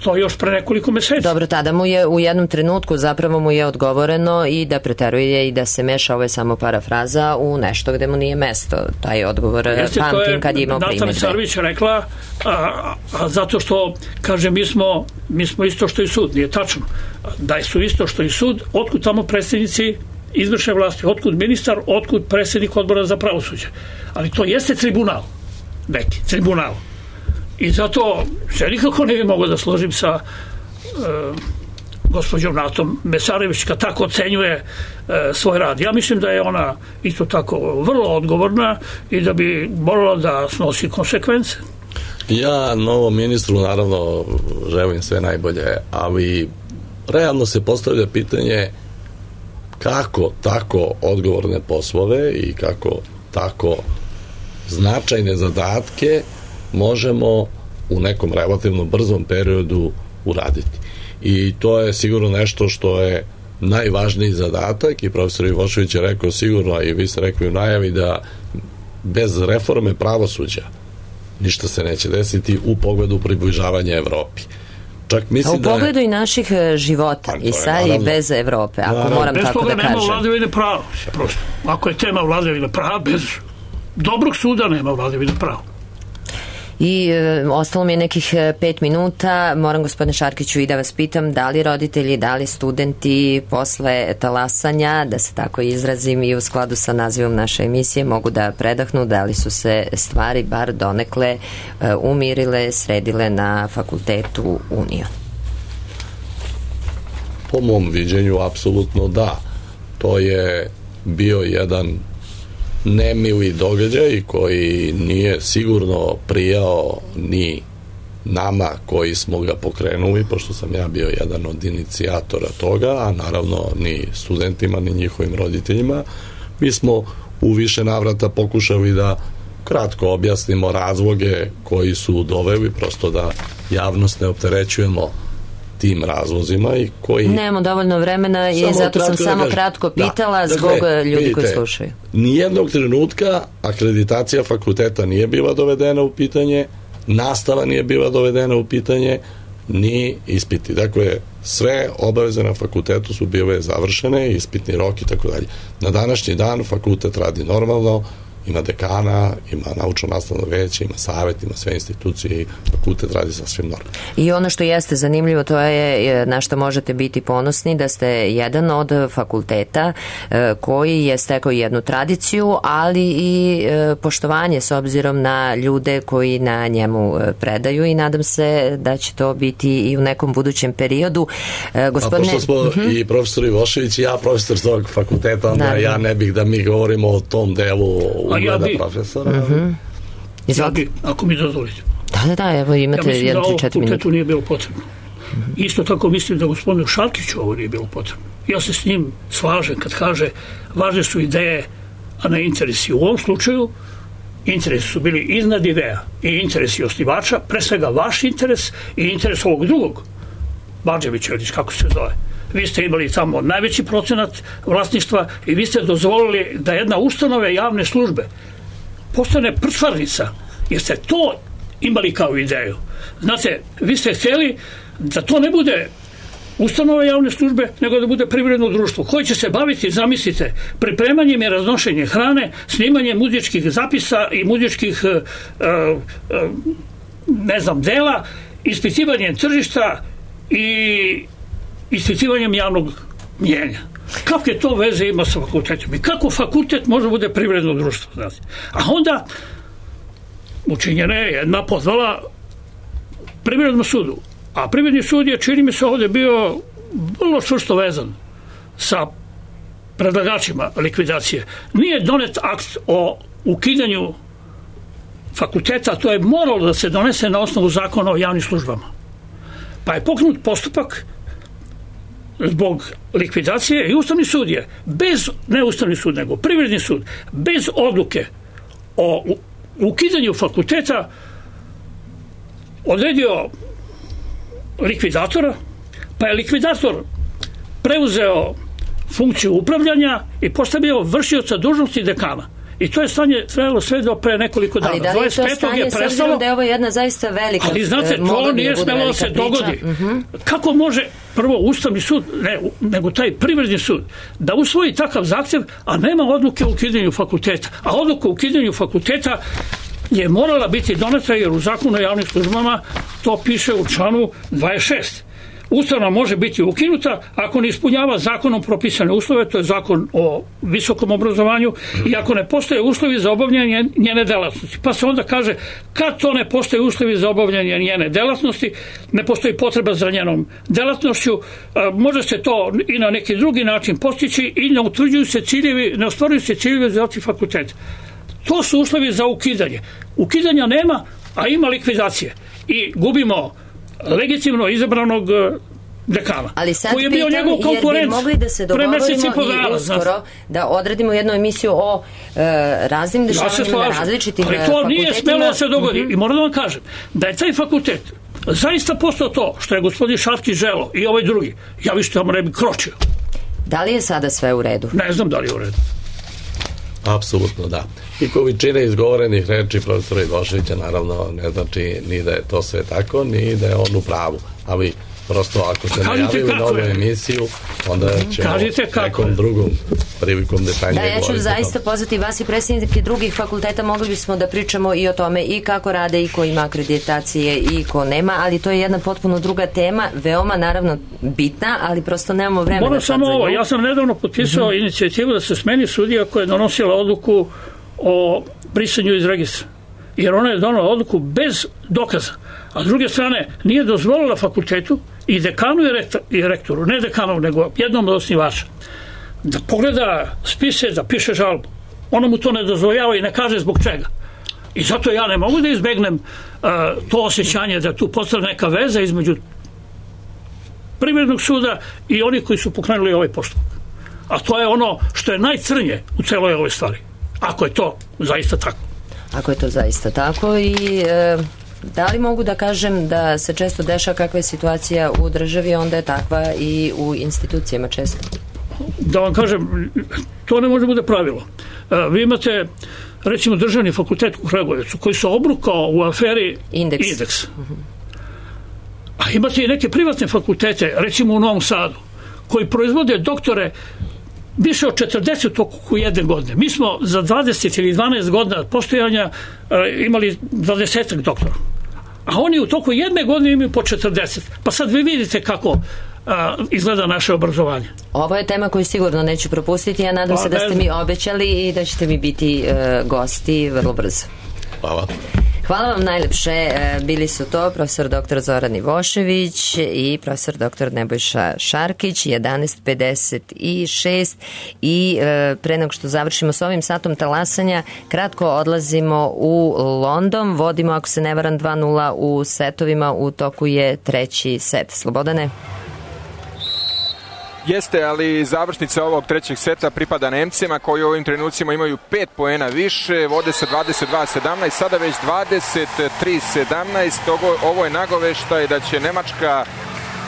To još pre nekoliko meseci. Dobro, tada mu je u jednom trenutku zapravo mu je odgovoreno i da preteruje i da se meša, ovo je samo parafraza, u nešto gde mu nije mesto. Taj odgovor Jeste, pamtim kad je imao primjedbe. Natalia Sarvić rekla, a, a zato što, kaže, mi smo, mi smo isto što i sud. Nije tačno. Da su isto što i sud, otkud tamo predsjednici izvršne vlasti, otkud ministar, otkud predsjednik odbora za pravosuđe. Ali to jeste tribunal. Neki, tribunal. I zato se nikako ne bi mogao da složim sa e, gospođom Natom Mesarević kad tako ocenjuje e, svoj rad. Ja mislim da je ona isto tako vrlo odgovorna i da bi morala da snosi konsekvence. Ja novom ministru naravno želim sve najbolje, ali realno se postavlja pitanje kako tako odgovorne poslove i kako tako značajne zadatke možemo u nekom relativno brzom periodu uraditi. I to je sigurno nešto što je najvažniji zadatak i profesor Ivošević je rekao sigurno, i vi ste rekli u najavi, da bez reforme pravosuđa ništa se neće desiti u pogledu približavanja Evropi. Čak mislim a u pogledu da je, i naših života i sad i bez Evrope, ako naravno, moram tako da kažem. Bez toga nema vladavine prava. Prosto. Ako je tema vladavine prava, bez dobrog suda nema vladavine prava. I e, ostalo mi je nekih pet minuta. Moram, gospodine Šarkiću, i da vas pitam da li roditelji, da li studenti posle talasanja, da se tako izrazim i u skladu sa nazivom naše emisije, mogu da predahnu, da li su se stvari bar donekle e, umirile, sredile na fakultetu Union? Po mom viđenju, apsolutno da. To je bio jedan nemili događaj koji nije sigurno prijao ni nama koji smo ga pokrenuli, pošto sam ja bio jedan od inicijatora toga, a naravno ni studentima, ni njihovim roditeljima. Mi smo u više navrata pokušali da kratko objasnimo razloge koji su doveli, prosto da javnost ne opterećujemo tim razlozima i koji... Nemamo dovoljno vremena i zato sam samo da kratko pitala da, zbog dakle, ljudi vidite, koji slušaju. Nijednog trenutka akreditacija fakulteta nije bila dovedena u pitanje, nastava nije bila dovedena u pitanje, ni ispiti. Dakle, sve obaveze na fakultetu su bile završene, ispitni rok i tako dalje. Na današnji dan fakultet radi normalno, ima dekana, ima naučno-nastavno veće, ima savjet, ima sve institucije i fakultet radi sasvim normalno. I ono što jeste zanimljivo, to je na što možete biti ponosni, da ste jedan od fakulteta koji je stekao jednu tradiciju, ali i poštovanje s obzirom na ljude koji na njemu predaju i nadam se da će to biti i u nekom budućem periodu. Gospodine... A pošto smo uh-huh. i profesor Ivošević i ja profesor tog fakulteta, onda da, ja ne bih da mi govorimo o tom delu ugleda ja profesora. Uh-huh. Ja bi, ako mi dozvolite. Da, da, da, evo imate ja jedan tri četiri minuta. Ja mislim da ovo fakultetu nije bilo potrebno. Uh-huh. Isto tako mislim da gospodinu Šarkiću ovo nije bilo potrebno. Ja se s njim slažem kad kaže važne su ideje, a ne interesi. U ovom slučaju interesi su bili iznad ideja i interesi osnivača, pre svega vaš interes i interes ovog drugog, Bađevića, kako se zove. Vi ste imali tamo najveći procenat vlasništva i vi ste dozvolili da jedna ustanove javne službe postane prčvarnica, jer ste to imali kao ideju. Znate, vi ste htjeli da to ne bude ustanove javne službe, nego da bude privredno društvo koje će se baviti, zamislite, pripremanjem i raznošenjem hrane, snimanjem muzičkih zapisa i muzičkih uh, uh, ne znam, dela, ispitivanjem tržišta i ispitivanjem javnog mnjenja. Kakve to veze ima sa fakultetom? I kako fakultet može bude privredno društvo? Znate? A onda učinjena je jedna pozvala privrednom sudu. A privredni sud je, čini mi se, ovdje bio vrlo čvrsto vezan sa predlagačima likvidacije. Nije donet akt o ukidanju fakulteta, to je moralo da se donese na osnovu zakona o javnim službama. Pa je pokrenut postupak zbog likvidacije i Ustavni sud je bez, ne Ustavni sud, nego Privredni sud, bez odluke o ukidanju fakulteta odredio likvidatora, pa je likvidator preuzeo funkciju upravljanja i postavio vršioca dužnosti dekana. I to je stanje trajalo sve do pre nekoliko dana. Ali da li je to stanje, je prestalo, s obzirom da je ovo jedna zaista velika... Ali znate, to nije smelo da se dogodi. Uh-huh. Kako može prvo Ustavni sud, ne, nego taj Privredni sud, da usvoji takav zahtjev, a nema odluke o ukidanju fakulteta. A odluka o ukidanju fakulteta je morala biti doneta jer u zakonu o javnim službama to piše u članu dvadeset šest. Ustanova može biti ukinuta ako ne ispunjava zakonom propisane uslove, to je zakon o visokom obrazovanju, i ako ne postoje uslovi za obavljanje njene delatnosti. Pa se onda kaže, kad to ne postoje uslovi za obavljanje njene delatnosti, ne postoji potreba za njenom delatnošću, može se to i na neki drugi način postići i ne utvrđuju se ciljevi, ne ostvaruju se ciljevi za fakultet. To su uslovi za ukidanje. Ukidanja nema, a ima likvidacije. I gubimo legitimno izabranog dekana. Ali sad koji je bio pitam, njegov konkurent, jer bi mogli da se dogovorimo i uskoro da odradimo jednu emisiju o e, raznim dešavanjima na različitim fakultetima. Ali to nije smelo da se dogodi. Mm-hmm. I moram da vam kažem da je taj fakultet zaista postao to što je gospodin Šarkić želeo i ovaj drugi. Ja više tamo ne bi kročio. Da li je sada sve u redu? Ne znam da li je u redu. Apsolutno da. I količina izgovorenih reči profesora Ivoševića naravno ne znači ni da je to sve tako, ni da je on u pravu. Ali Prosto ako se Kažite najavili na ovu je. emisiju, onda ćemo nekom drugom prilikom detaljnije Da, ja ću govoriti. zaista pozvati vas i predsjednike drugih fakulteta, mogli bismo da pričamo i o tome i kako rade i ko ima akreditacije i ko nema, ali to je jedna potpuno druga tema, veoma naravno bitna, ali prosto nemamo vremena. Moram samo ovo, ja sam nedavno potpisao mm-hmm. inicijativu da se smeni sudija koja je donosila odluku o brisanju iz registra. Jer ona je donala odluku bez dokaza. A s druge strane, nije dozvolila fakultetu i dekanu i, rektor, i rektoru, ne dekanu, nego jednom od osnivača, da pogleda spise, da piše žalbu. Ona mu to ne dozvoljava i ne kaže zbog čega. I zato ja ne mogu da izbegnem uh, to osjećanje da tu postoji neka veza između privrednog suda i oni koji su pokrenuli ovaj postupak. A to je ono što je najcrnje u celoj ovoj stvari. Ako je to zaista tako. Ako je to zaista tako i e, da li mogu da kažem da se često dešava kakva je situacija u državi, onda je takva i u institucijama često? Da vam kažem, to ne može bude pravilo. E, vi imate recimo državni fakultet u Kragujevcu koji se obrukao u aferi Indeks. Indeks. Uh-huh. A imate i neke privatne fakultete, recimo u Novom Sadu, koji proizvode doktore više od četrdeset u jedne godine. Mi smo za dvadeset ili dvanaest godina postojanja e, imali dvadeset doktora. A oni u toku jedne godine imaju po četrdeset. Pa sad vi vidite kako a, izgleda naše obrazovanje. Ovo je tema koju sigurno neću propustiti. Ja nadam pa, se da ste mi obećali i da ćete mi biti e, gosti vrlo brzo. Hvala. Hvala vam najlepše. Bili su to profesor doktor Zoran Ivošević i profesor doktor Nebojša Šarkić. jedanaest pedeset šest i pre nego što završimo s ovim satom talasanja, kratko odlazimo u London. Vodimo, ako se ne varam, dva nula u setovima. U toku je treći set. Slobodane? Jeste, ali završnica ovog trećeg seta pripada Nemcima koji u ovim trenucima imaju pet poena više, vode se dvadeset dva sedamnaest, sada već dvadeset tri sedamnaest. Ovo, ovo je nagoveštaj da će Nemačka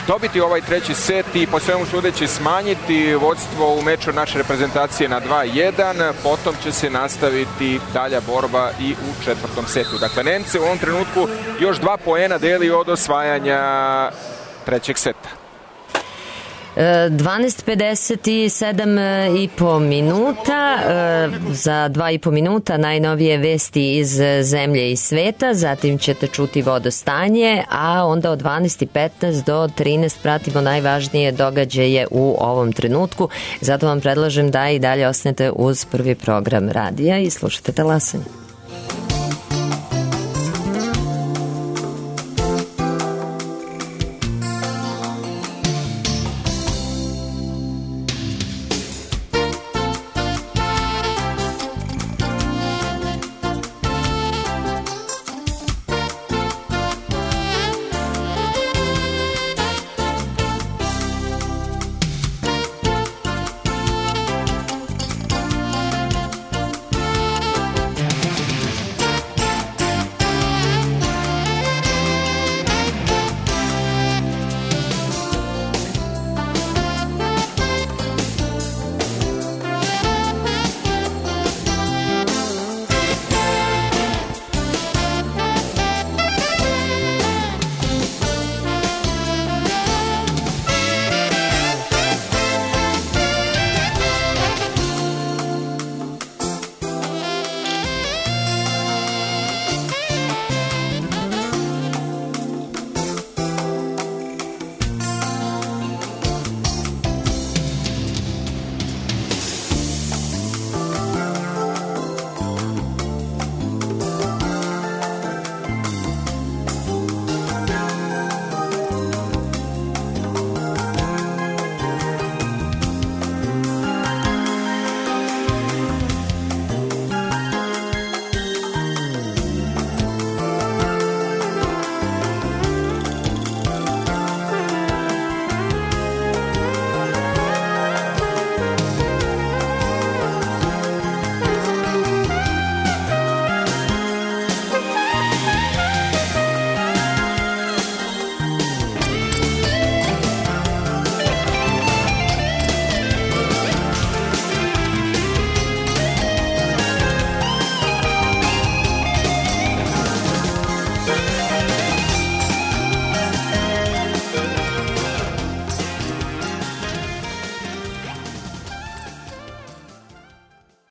dobiti ovaj treći set i po svemu sudeći smanjiti vodstvo u meču naše reprezentacije na dva jedan, potom će se nastaviti dalja borba i u četvrtom setu. Dakle, Nemci u ovom trenutku još dva poena deli od osvajanja trećeg seta. dvanaest pedeset sedam i po minuta, za dva i po minuta najnovije vesti iz zemlje i sveta, zatim ćete čuti vodostanje, a onda od dvanaest petnaest do trinaest pratimo najvažnije događaje u ovom trenutku. Zato vam predlažem da i dalje ostanete uz prvi program radija i slušate talasanje.